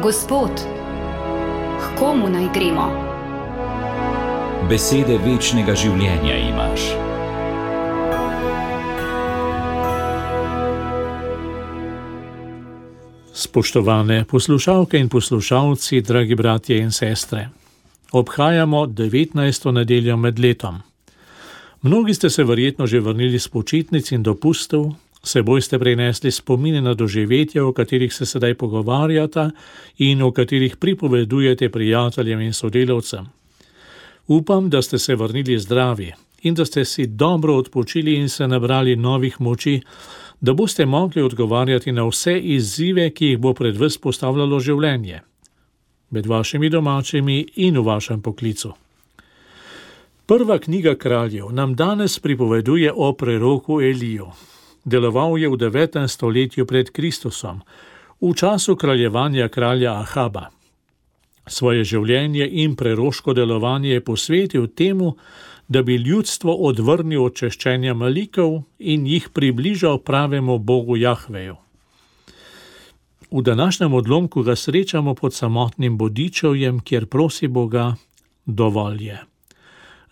Gospod, k komu naj gremo? Besede večnega življenja imaš. Spoštovane poslušalke in poslušalci, dragi bratje in sestre, obhajamo 19. nedeljo med letom. Mnogi ste se verjetno že vrnili s počitnic in dopustov, seboj ste prinesli spomine na doživetja, o katerih se sedaj pogovarjata in o katerih pripovedujete prijateljem in sodelavcem. Upam, da ste se vrnili zdravi in da ste si dobro odpočili in se nabrali novih moči, da boste mogli odgovarjati na vse izzive, ki jih bo pred vas postavljalo življenje, med vašimi domačimi in v vašem poklicu. Prva knjiga Kraljev nam danes pripoveduje o preroku Eliju. Deloval je v 9. stoletju pred Kristusom, v času kraljevanja kralja Ahaba. Svoje življenje in preroško delovanje je posvetil temu, da bi ljudstvo odvrnil od češčenja malikov in jih približal pravemu Bogu Jahveju. V današnjem odlomku ga srečamo pod samotnim bodičevjem, kjer prosi Boga: dovolj je.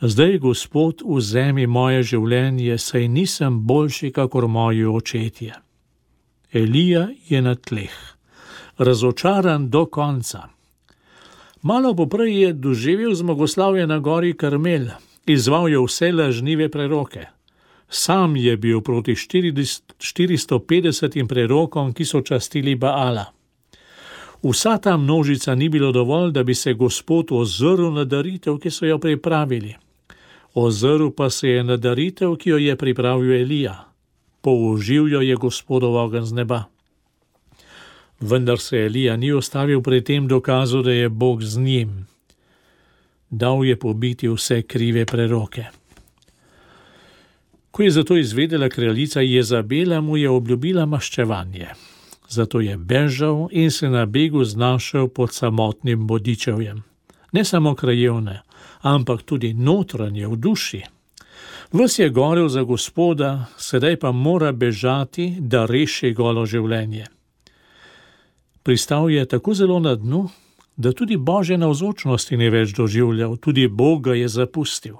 Zdaj, Gospod, vzemi moje življenje, saj nisem boljši kakor moji očetje. Elija je na tleh, razočaran do konca. Malo poprej je doživel zmagoslavje na gori Karmel, izzval je vse lažnive preroke. Sam je bil proti 450 prerokom, ki so častili Baala. Vsa ta množica ni bilo dovolj, da bi se Gospod ozrl na daritev, ki so jo pripravili. Ozrl pa se je na daritev, ki jo je pripravil Elija. Použil jo je Gospodov ogenj z neba. Vendar se Elija ni ostavil pri tem dokazu, da je Bog z njim. Dal je pobiti vse krive preroke. Ko je zato izvedela kraljica Jezabela, mu je obljubila maščevanje. Zato je bežal in se na begu znašel pod samotnim bodičevjem. Ne samo krajevne, ampak tudi notranje v duši. Ves je gorel za Gospoda, sedaj pa mora bežati, da reši golo življenje. Pristal je tako zelo na dnu, da tudi Božje navzočnosti ni več doživljal, tudi Boga je zapustil.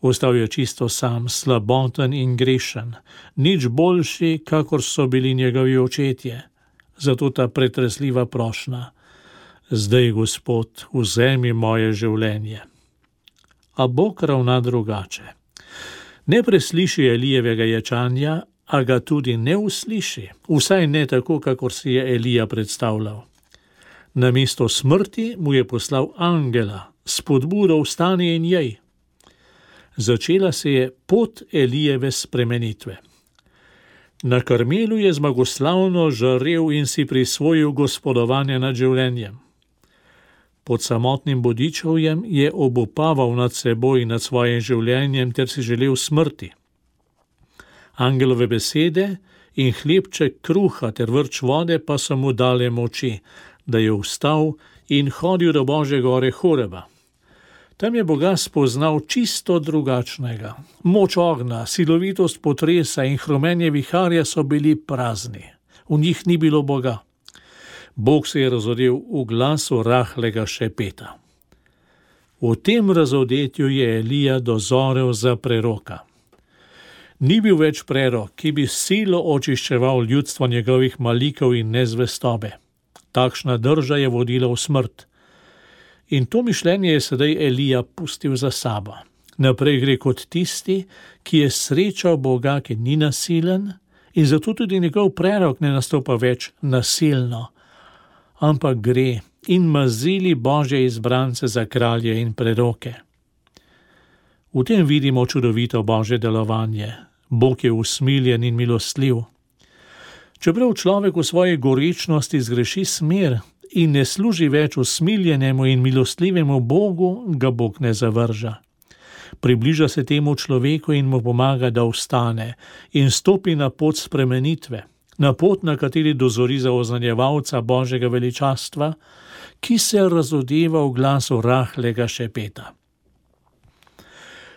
Ostal je čisto sam, slaboten in grešen, nič boljši, kakor so bili njegovi očetje. Zato ta pretresljiva prošnja: zdaj, Gospod, vzemi moje življenje. A Bog ravna drugače. Ne presliši Elijevega ječanja, a ga tudi ne usliši, vsaj ne tako, kakor si je Elija predstavljal. Namesto smrti mu je poslal angela, spodbudo vstani in jej. Začela se je pot Elijeve spremenitve. Na Karmelu je zmagoslavno žarel in si prisvojil gospodovanje nad življenjem. Pod samotnim bodičevjem je obupaval nad seboj in nad svojim življenjem ter si želel smrti. Angelove besede in hlebček kruha ter vrč vode pa so mu dale moči, da je vstal in hodil do Božje gore Horeba. Tam je Boga spoznal čisto drugačnega. Moč ognja, silovitost potresa in hrumenje viharja so bili prazni. V njih ni bilo Boga. Bog se je razodel v glasu rahlega šepeta. V tem razodetju je Elija dozorel za preroka. Ni bil več prerok, ki bi silo očiščeval ljudstvo njegovih malikov in nezvestobe. Takšna drža je vodila v smrt. In to mišljenje je sedaj Elija pustil za sabo. Naprej gre kot tisti, ki je srečal Boga, ki ni nasilen, in zato tudi njegov prerok ne nastopa več nasilno, ampak gre in mazili Božje izbrance za kralje in preroke. V tem vidimo čudovito Božje delovanje. Bog je usmiljen in milostljiv. Čeprav človek v svoji gorečnosti zgreši smer in ne služi več usmiljenemu in milostljivemu Bogu, ga Bog ne zavrža. Približa se temu človeku in mu pomaga, da vstane in stopi na pot spremenitve, na pot, na kateri dozori za oznanjevalca Božjega veličastva, ki se razodeva v glasu rahlega šepeta.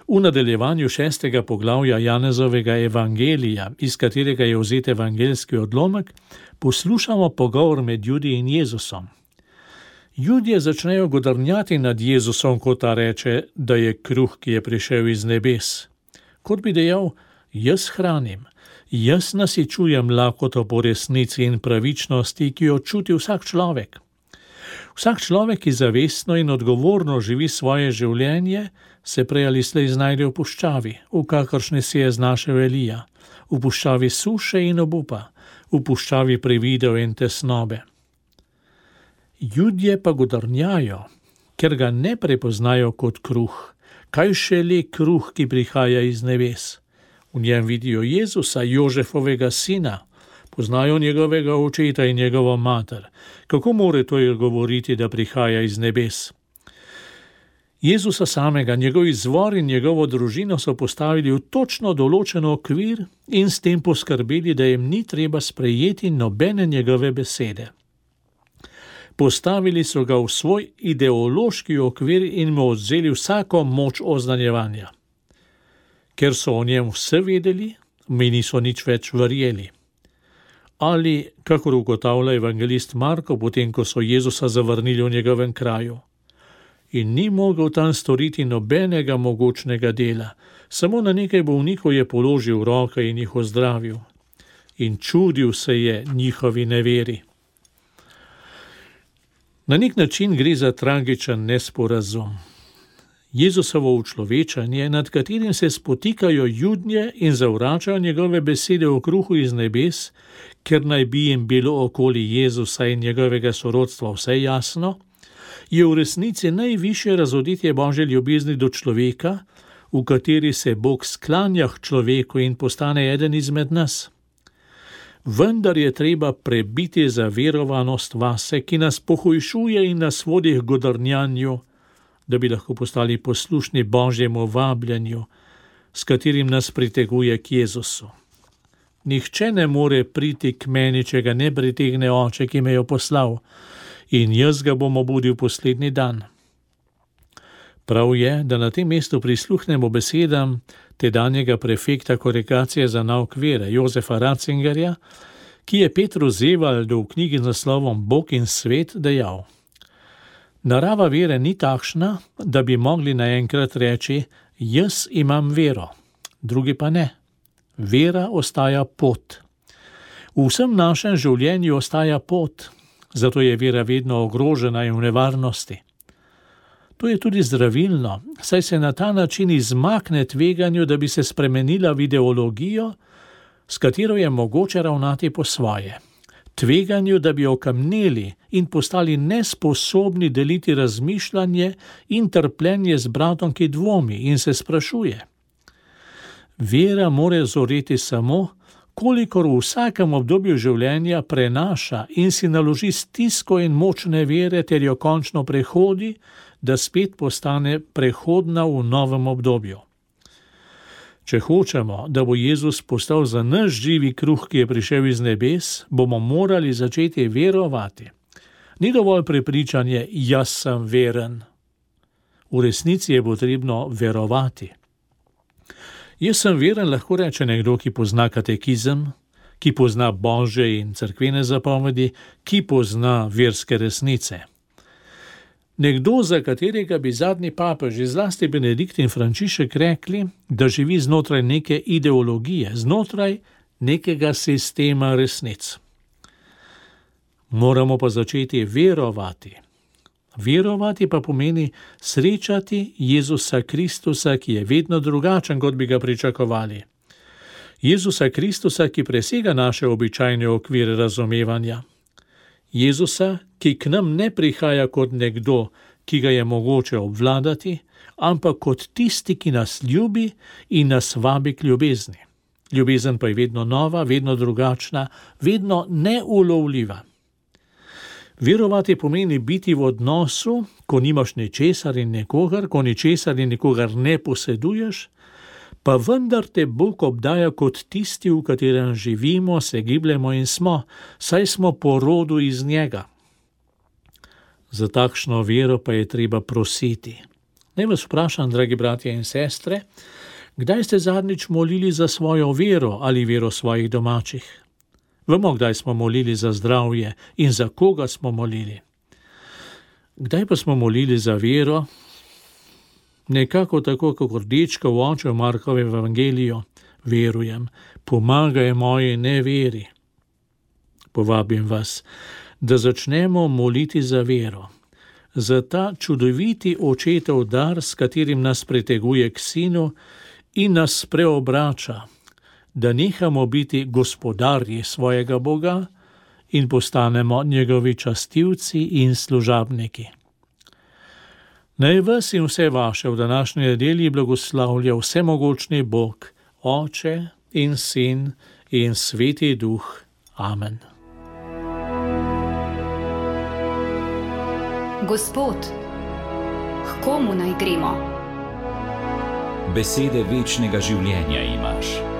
V nadaljevanju 6. poglavja Janezovega evangelija, iz katerega je vzet evangeljski odlomek, poslušamo pogovor med Judi in Jezusom. Judje začnejo godrnjati nad Jezusom, ko ta reče, da je kruh, ki je prišel iz nebes. Kot bi dejal, jaz hranim, jaz nasičujem lakoto po resnici in pravičnosti, ki jo čuti vsak človek. Vsak človek, ki zavestno in odgovorno živi svoje življenje, se prej ali slej znajde v puščavi, v kakršni si je znašel Elija, v puščavi suše in obupa, v puščavi prividov in tesnobe. Judje pa godrnjajo, ker ga ne prepoznajo kot kruh, kaj šele kruh, ki prihaja iz nebes. V njem vidijo Jezusa, Jožefovega sina, poznajo njegovega očeta in njegovo mater. Kako more to govoriti, da prihaja iz nebes? Jezusa samega, njegov izvor in njegovo družino so postavili v točno določen okvir in s tem poskrbeli, da jim ni treba sprejeti nobene njegove besede. Postavili so ga v svoj ideološki okvir in mu odvzeli vsako moč oznanjevanja. Ker so o njem vse vedeli, mi niso nič več verjeli. Ali, kakor ugotavlja evangelist Marko, potem ko so Jezusa zavrnili v njegovem kraju. In ni mogel tam storiti nobenega mogočnega dela, samo na nekaj bolnikov je položil roke in jih ozdravil. In čudil se je njihovi neveri. Na nek način gre za tragičen nesporazum. Jezusovo učlovečanje, nad katerim se spotikajo Judje in zavračajo njegove besede o kruhu iz nebes, ker naj bi jim bilo okoli Jezusa in njegovega sorodstva vse jasno, je v resnici najvišje razodetje Božje ljubezni do človeka, v kateri se Bog sklanja k človeku in postane eden izmed nas. Vendar je treba prebiti zaverovanost vase, ki nas pohujšuje in nas vodi k godrnjanju, da bi lahko postali poslušni Božjemu vabljanju, s katerim nas priteguje k Jezusu. Nihče ne more priti k meni, če ga ne pritegne Oče, ki me je poslal, in jaz ga bom obudil poslednji dan. Prav je, da na tem mestu prisluhnemo besedam tedanjega prefekta Kongregacije za nauk vere, Jozefa Ratzingerja, ki je Petru Zevaldu v knjigi z naslovom Bog in svet dejal: Narava vere ni takšna, da bi mogli naenkrat reči, jaz imam vero, drugi pa ne. Vera ostaja pot. V vsem našem življenju ostaja pot, zato je vera vedno ogrožena in v nevarnosti. To je tudi zdravilno, saj se na ta način izmakne tveganju, da bi se spremenila v ideologijo, s katero je mogoče ravnati po svoje. Tveganju, da bi okamneli in postali nesposobni deliti razmišljanje in trpljenje z bratom, ki dvomi in se sprašuje. Vera more zoreti samo, kolikor v vsakem obdobju življenja prenaša in si naloži stisko in močne vere ter jo končno prehodi, da spet postane prehodna v novem obdobju. Če hočemo, da bo Jezus postal za naš živi kruh, ki je prišel iz nebes, bomo morali začeti verovati. Ni dovolj prepričanje, jaz sem veren. V resnici je potrebno verovati. Jaz sem veren, lahko reče nekdo, ki pozna katekizem, ki pozna Božje in cerkvene zapovedi, ki pozna verske resnice. Nekdo, za katerega bi zadnji papeži, zlasti Benedikt in Frančišek, rekli, da živi znotraj neke ideologije, znotraj nekega sistema resnic. Moramo pa začeti verovati. Verovati pa pomeni srečati Jezusa Kristusa, ki je vedno drugačen, kot bi ga pričakovali. Jezusa Kristusa, ki presega naše običajne okvire razumevanja. Jezusa, ki k nam ne prihaja kot nekdo, ki ga je mogoče obvladati, ampak kot tisti, ki nas ljubi in nas vabi k ljubezni. Ljubezen pa je vedno nova, vedno drugačna, vedno neulovljiva. Verovati pomeni biti v odnosu, ko nimaš ničesar in nikogar, ko ničesar in nikogar ne poseduješ, pa vendar te Bog obdaja kot tisti, v katerem živimo, se gibljemo in smo, saj smo po rodu iz njega. Za takšno vero pa je treba prositi. Naj vas vprašam, dragi bratje in sestre, kdaj ste zadnjič molili za svojo vero ali vero svojih domačih? Vemo, kdaj smo molili za zdravje in za koga smo molili. Kdaj pa smo molili za vero? Nekako tako, kot dečka v oče v Markovem evangeliju. Verujem, pomagaj moji neveri. Povabim vas, da začnemo moliti za vero, za ta čudoviti očetov dar, s katerim nas priteguje k sinu in nas preobrača, da nehamo biti gospodarji svojega Boga in postanemo njegovi častilci in služabniki. Naj vas in vse vaše v današnji nedelji blagoslavlja vsemogočni Bog, Oče in Sin in Sveti Duh. Amen. Gospod, h komu naj gremo? Besede večnega življenja imaš.